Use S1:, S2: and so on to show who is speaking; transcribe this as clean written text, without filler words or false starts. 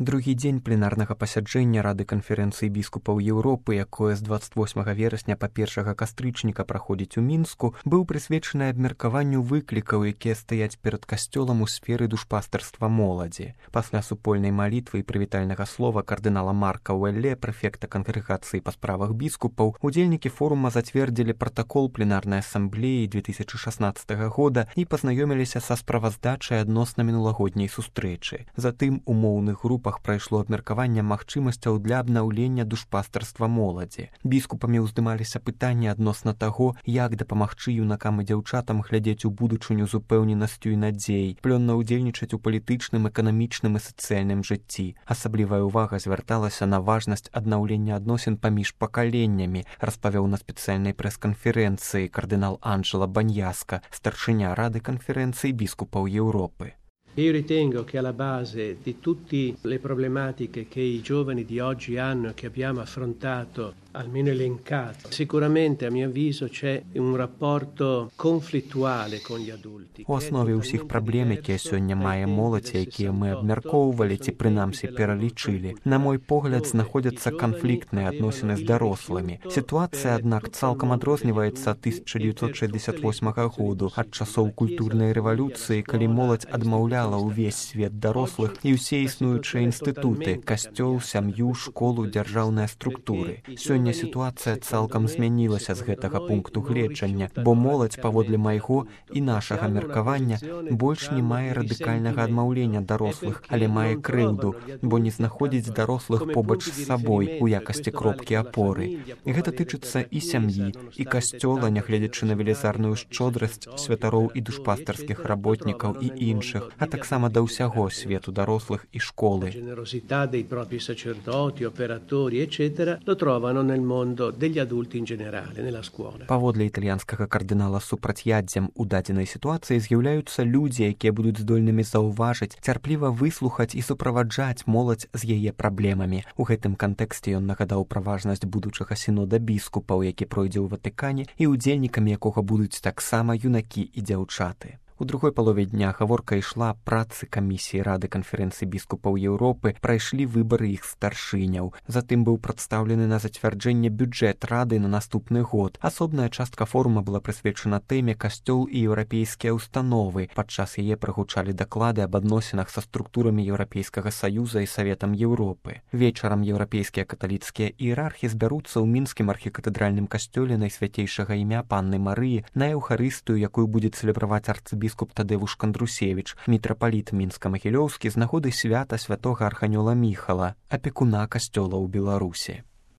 S1: Другі дзень пленарнага пасяджэння Рады канферэнцыі біскупаў Еўропы, якое з 28 верасня па 1 кастрычніка праходзіць у Мінску, быў прысвечаны абмеркаванню выклікаў, якія стаяць перад касцёлам у сферы душпастарства моладзі. Пасля супольнай малітвы і прывітальнага слова кардынала Марка Уэлле, прэфекта кангрэгацыі па справах біскупаў, удзельнікі форума зацвердзілі пратакол пленарнай асамблеі 2016 года і пазнаёміліся са справаздачай адносна мінулагодняй сустрэчы. Затым у моўных групах прайшло абмеркаванне магчымасцяў для абнаўлення душпастарства моладзі. Біскупамі ўздымаліся пытанні адносна таго, як дапамагчы юнакам і дзяўчатам глядзець у будучыню з упэўненасцю і надзеяй, плённа ўдзельнічаць у палітычным, эканамічным і сацыяльным жыцці. Асаблівая ўвага звярталася на важнасць аднаўлення адносін паміж пакаленнямі, распавёў на спецыяльнай прэс-канферэнцыі кардынал Анджело Баньяска, старшыня Рады канферэнцыі біскупаў Еўропы.
S2: Io ritengo che alla base di tutte le problematiche che i giovani di oggi hanno e che abbiamo affrontato, almeno elencato, sicuramente a mio avviso c'è un rapporto conflittuale con gli adulti.
S1: У аснове ўсіх праблем, якія сёння мае моладзь, якія мы абмяркоўвалі ці прынамсі пералічылі, на мой погляд, знаходзяцца канфліктныя адносіны з дарослымі. Сітуацыя, аднак, цалкам адрозніваецца ад 1968 году, ад часоў культурнай рэвалюцыі, калі моладзь адмаўляла ўвесь свет дарослых і ўсе існуючыя інстытуты, касцёл, сям'ю, школу, дзяржаўныя структуры. Сёння сітуацыя цалкам змянілася з гэтага пункту гледжання, бо моладзь, паводле майго і нашага меркавання, больш не мае радыкальнага адмаўлення дарослых, але мае крыўду, бо не знаходзіць дарослых побач з сабой у якасці кропкі апоры. І гэта тычыцца і сям'і, і касцёла, нягледзячы на велізарную шчодрасць святароў і душпастарскіх работнікаў і іншых, а таксама да ўсяго свету дарослых і школы.
S2: Generosità dei propri sacerdoti, operatori, eccetera, lo trovano nel mondo degli adulti in generale, nella scuola.
S1: Паводле італьянскага кардынала супрацьяддзям у дадзенай сітуацыі з'яўляюцца людзі, якія будуць здольнымі заўважыць, цярпліва выслухаць і суправаджаць моладзь з яе праблемамі. У гэтым кантэксце ён нагадаў пра важнасць будучага сінода біскупаў, які пройдзе ў Ватыкане і удзельнікамі якога будуць таксама юнакі і дзяўчаты. У другой палове дня гаворка ішла працы камісіі Рады канферэнцыі біскупаў Еўропы, прайшлі выбары іх старшыняў. Затым быў прадстаўлены на зацвярджэнне бюджэт Рады на наступны год. Асобная частка форума была прысвечана тэме «Касцёл і еўрапейскія ўстановы». Падчас яе прагучалі даклады аб адносінах са структурамі Еўрапейскага Саюза і Саветам Еўропы. Вечарам еўрапейскія каталіцкія іерархі збяруцца ў мінскім архікатэдральным касцёле Найсвяцейшага імя Панны Марыі на эўхарыстыю, якую будзе цэлебраваць арцыбіскуп Тадеуш Кандрусевіч, мітрапаліт Мінска-Магілёўскі з нагоды свята святога арханёла Міхала, апекуна касцёла ў Беларусі.